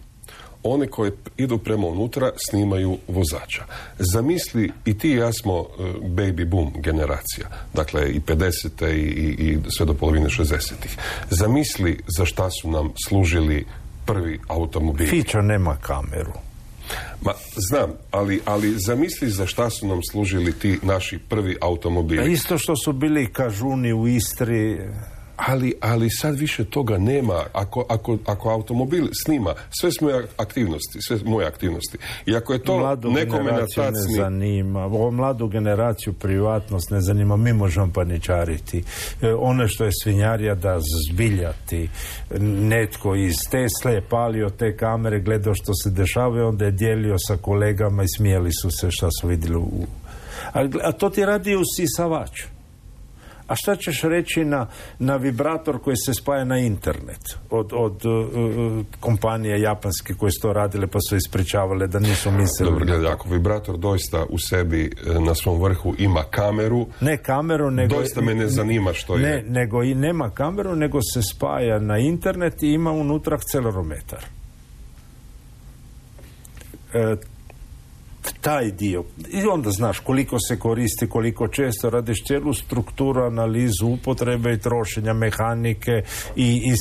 One koje idu prema unutra snimaju vozača. Zamisli, i ti i ja smo uh, baby boom generacija, dakle i pedesete i, i, i sve do polovine šezdesetih. Zamisli za šta su nam služili prvi automobili. Fića nema kameru. Ma, znam, ali, ali zamisli za šta su nam služili ti naši prvi automobili. A isto što su bili kažuni u Istri. Ali, ali sad više toga nema. Ako, ako, ako automobil snima sve moje aktivnosti, sve moje aktivnosti, i ako je to mladu nekome na tad ne snima... zanima. Ovo mladu generaciju privatnost ne zanima. Mi možemo paničariti. E, ono što je svinjarija da zbiljati. Netko iz Tesle je palio te kamere, gledao što se dešava i onda je dijelio sa kolegama i smijeli su se šta su vidjeli u... A, a to ti radi usisavač. A šta ćeš reći na, na vibrator koji se spaja na internet od, od uh, kompanije japanske koje su to radile pa su ispričavale da nisu mislili. Dobro, gledaj, ako vibrator doista u sebi na svom vrhu ima kameru, ne kameru, nego doista me ne zanima što ne, je. Nego i nema kameru, nego se spaja na internet i ima unutra akcelerometar. E, taj dio. I onda znaš koliko se koristi, koliko često radiš cijelu strukturu, analizu upotrebe i trošenja mehanike i, i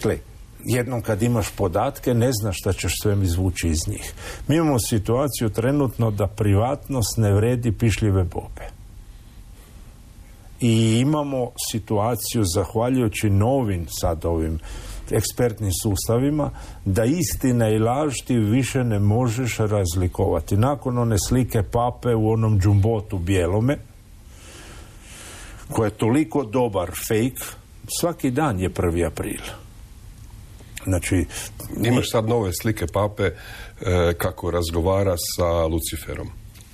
gle, jednom kad imaš podatke ne znaš šta ćeš sve izvući iz njih. Mi imamo situaciju trenutno da privatnost ne vredi pišljive bobe. I imamo situaciju zahvaljujući novim sad ovim ekspertnim sustavima, da istina i laž ti više ne možeš razlikovati. Nakon one slike pape u onom džumbotu bijelome, koja je toliko dobar fake, svaki dan je prvi april. Znači, imaš sad nove slike pape e, kako razgovara sa Luciferom.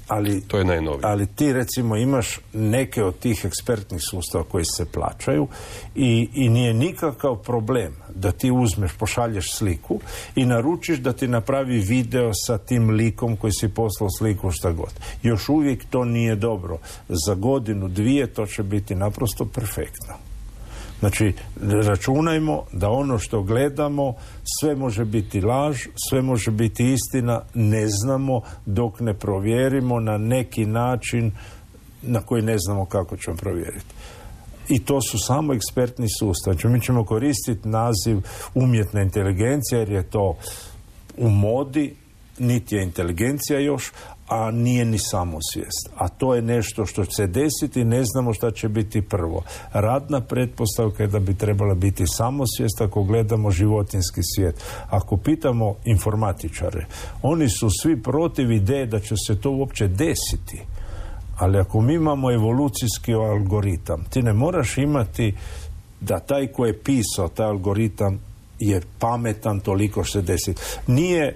Ali, to je najnovije. Ali ti recimo imaš neke od tih ekspertnih sustava koji se plaćaju i, i nije nikakav problem da ti uzmeš, pošalješ sliku i naručiš da ti napravi video sa tim likom koji si poslao sliku šta god. Još uvijek to nije dobro. Za godinu, dvije to će biti naprosto perfektno. Znači, računajmo da ono što gledamo sve može biti laž, sve može biti istina, ne znamo dok ne provjerimo na neki način na koji ne znamo kako ćemo provjeriti. I to su samo ekspertni sustav. Znači, mi ćemo koristiti naziv umjetna inteligencija jer je to u modi, niti je inteligencija još, a nije ni samosvijest. A to je nešto što će se desiti i ne znamo šta će biti prvo. Radna pretpostavka je da bi trebala biti samosvijest ako gledamo životinjski svijet. Ako pitamo informatičare, oni su svi protiv ideje da će se to uopće desiti. Ali ako mi imamo evolucijski algoritam, ti ne moraš imati da taj ko je pisao taj algoritam je pametan toliko što se desi. Nije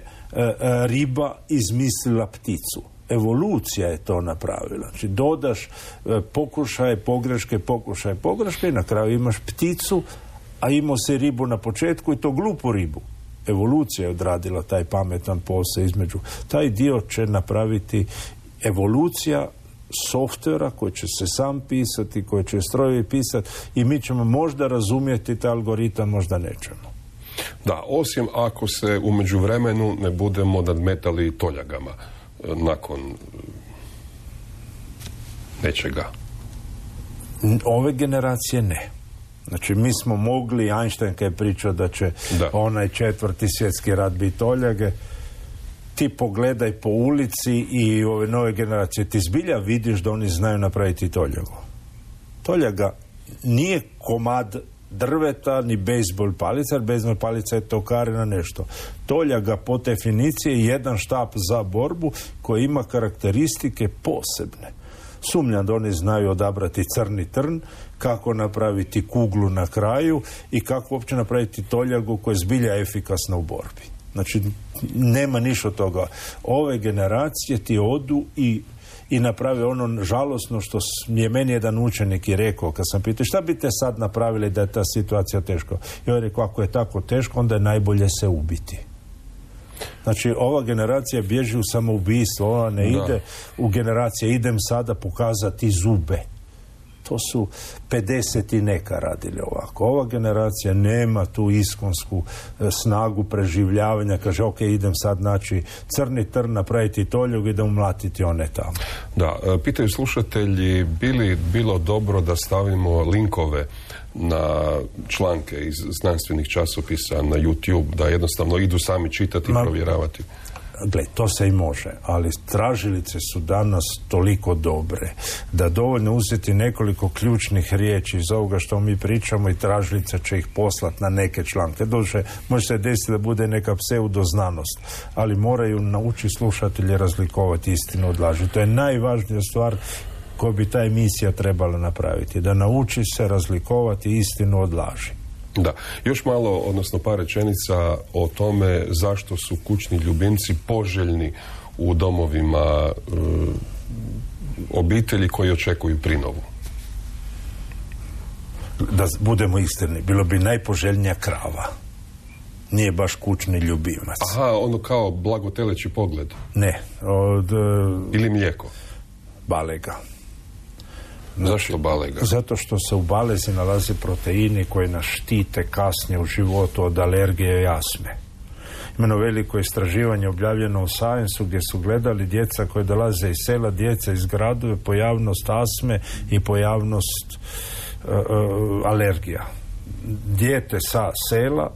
riba izmislila pticu. Evolucija je to napravila. Znači dodaš pokušaje, pogreške, pokušaje, pogreške i na kraju imaš pticu, a imao se ribu na početku i to glupu ribu. Evolucija je odradila taj pametan posao između. Taj dio će napraviti evolucija softvera koji će se sam pisati, koji će strojevi pisati i mi ćemo možda razumjeti taj algoritam, možda nećemo. Da, osim ako se u međuvremenu ne budemo nadmetali toljagama nakon nečega. Ove generacije ne. Znači, mi smo mogli, Einstein kad je pričao da će da. onaj četvrti svjetski rat biti toljage, ti pogledaj po ulici i ove nove generacije, ti zbilja vidiš da oni znaju napraviti toljagu. Toljaga nije komad drveta ni bejsbol palica, jer bejsbol palica je tokarina nešto. Toljaga po definiciji je jedan štap za borbu koji ima karakteristike posebne. Sumnjam da oni znaju odabrati crni trn, kako napraviti kuglu na kraju i kako uopće napraviti toljagu koja je zbilja efikasna u borbi. Znači, nema ništa od toga. Ove generacije ti odu i, i naprave ono žalosno što je meni jedan učenik i rekao, kad sam pitao šta bi te sad napravili da je ta situacija teško. I on je rekao, ako je tako teško, onda je najbolje se ubiti. Znači, ova generacija bježi u samoubistvo, ona ne da. ide u generacije, idem sada pokazati zube. To su pedeset i neka radili ovako. Ova generacija nema tu iskonsku e, snagu preživljavanja, kaže, ok, idem sad naći crni trn, napraviti toljug i da umlatiti one tamo. Da, e, pitaju slušatelji, bi li bilo dobro da stavimo linkove na članke iz znanstvenih časopisa na YouTube, da jednostavno idu sami čitati i Ma, provjeravati? Gle, to se i može, ali tražilice su danas toliko dobre da dovoljno uzeti nekoliko ključnih riječi iz ovoga što mi pričamo i tražilica će ih poslati na neke članke. Doduše, može se desiti da bude neka pseudoznanost, ali moraju naučiti slušatelji razlikovati istinu od laži. To je najvažnija stvar koju bi ta emisija trebala napraviti, da nauči se razlikovati istinu od laži. Da, još malo, odnosno par rečenica o tome zašto su kućni ljubimci poželjni u domovima e, obitelji koji očekuju prinovu. Da budemo iskreni, bilo bi najpoželjnija krava. Nije baš kućni ljubimac. Aha, ono kao blagoteleći pogled. Ne. Od, ili mlijeko. Balega. Zašto balega? Zato što se u balezi nalaze proteini koji nas štite kasnije u životu od alergije i astme. Imeno veliko istraživanje objavljeno u Science-u gdje su gledali djeca koje dolaze iz sela, djeca iz gradova, pojavnost astme i pojavnost uh, uh, alergija. Dijete sa sela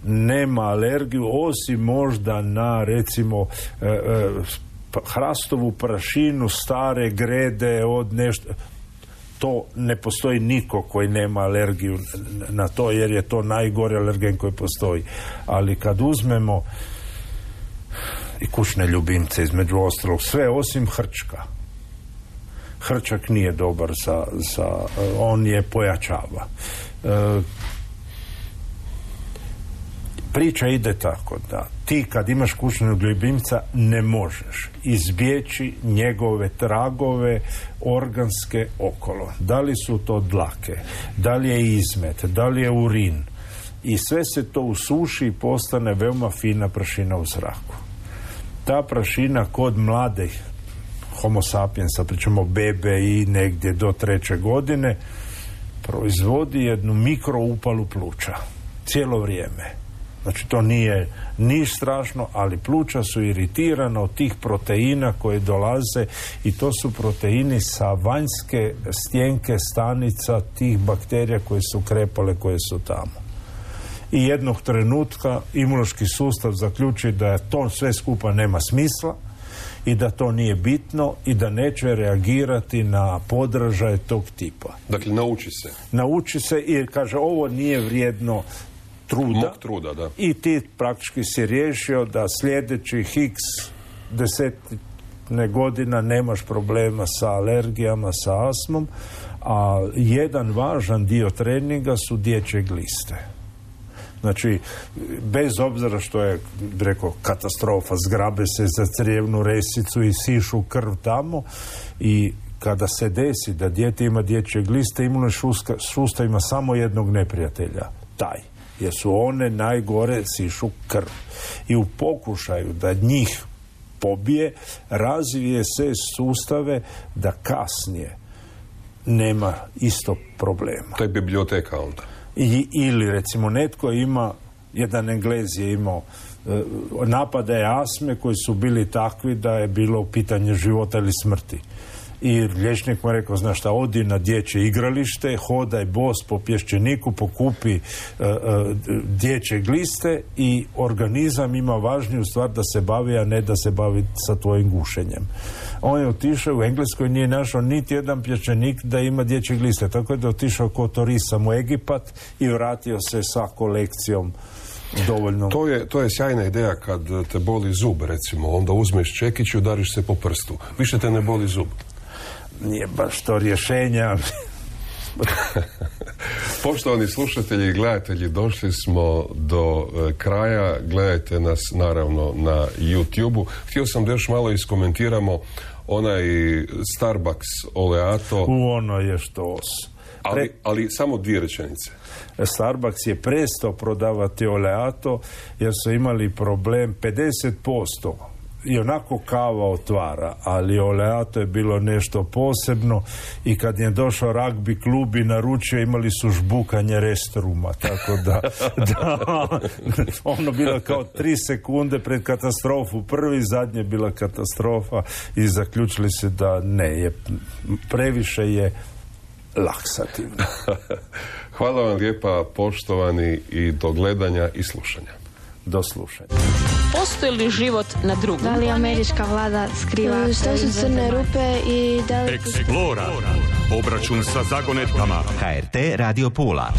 nema alergiju osim možda na recimo uh, uh, hrastovu prašinu, stare grede od nešto. To ne postoji niko koji nema alergiju na to, jer je to najgori alergen koji postoji. Ali kad uzmemo i kućne ljubimce, između ostalog, sve osim hrčka. Hrčak nije dobar za, za on je pojačava. E, priča ide tako da ti kad imaš kućnog ljubimca ne možeš izbjeći njegove tragove organske okolo. Da li su to dlake, da li je izmet, da li je urin. I sve se to usuši i postane veoma fina prašina u zraku. Ta prašina kod mladih homo sapiensa, pričamo bebe i negdje do treće godine, proizvodi jednu mikroupalu pluća. Cijelo vrijeme. Znači, to nije niš strašno, ali pluća su iritirana od tih proteina koje dolaze i to su proteini sa vanjske stjenke stanica tih bakterija koje su krepale, koje su tamo. I jednog trenutka imunološki sustav zaključi da to sve skupa nema smisla i da to nije bitno i da neće reagirati na podražaje tog tipa. Dakle, nauči se. Nauči se i kaže, ovo nije vrijedno truda, truda da. I ti praktički si riješio da sljedećih x desetine godina nemaš problema sa alergijama, sa astmom, a jedan važan dio treninga su dječje gliste. Znači, bez obzira što je, rekao, katastrofa, zgrabe se za crijevnu resicu i sišu krv tamo i kada se desi da dijete ima dječje gliste, imunološki sustav ima samo jednog neprijatelja, taj. Jer su one najgore sišu krv. I u pokušaju da njih pobije, razvije se sustave da kasnije nema isto problema. To je biblioteka onda. I, ili recimo netko ima Jedan Englez je imao e, napadaje astme koji su bili takvi da je bilo pitanje života ili smrti. I liječnik mu je rekao, znaš šta, odi na dječje igralište, hodaj bos po pješčeniku, pokupi uh, uh, dječje gliste i organizam ima važniju stvar da se bavi, a ne da se bavi sa tvojim gušenjem. On je otišao, u Engleskoj nije našao niti jedan pješčenik da ima dječje gliste, tako da je otišao ko turisam u Egipat i vratio se sa kolekcijom dovoljno. To je, to je sjajna ideja kad te boli zub, recimo, onda uzmeš čekić i udariš se po prstu. Više te ne boli zub. Nije baš to rješenja. Poštovani slušatelji i gledatelji, došli smo do e, kraja. Gledajte nas naravno na YouTube-u. Htio sam da još malo iskomentiramo onaj Starbucks Oleato. U ono je štos. Ali, ali samo dvije rečenice. Starbucks je prestao prodavati Oleato jer su imali problem pedeset posto. I onako kava otvara, ali Oleato je bilo nešto posebno i kad je došao ragbi klub i naručio, imali su žbukanje restruma, tako da, da ono bilo kao tri sekunde pred katastrofu, prvi, zadnje bila katastrofa i zaključili se da ne, je, previše je laksativno. Hvala vam lijepa, poštovani, i do gledanja i slušanja. Do slušanja. Postoji li život na drugom? Da li američka vlada skriva? Što su crne rupe i da li... Explora. Obračun sa zagonetkama. H R T Radio Pula.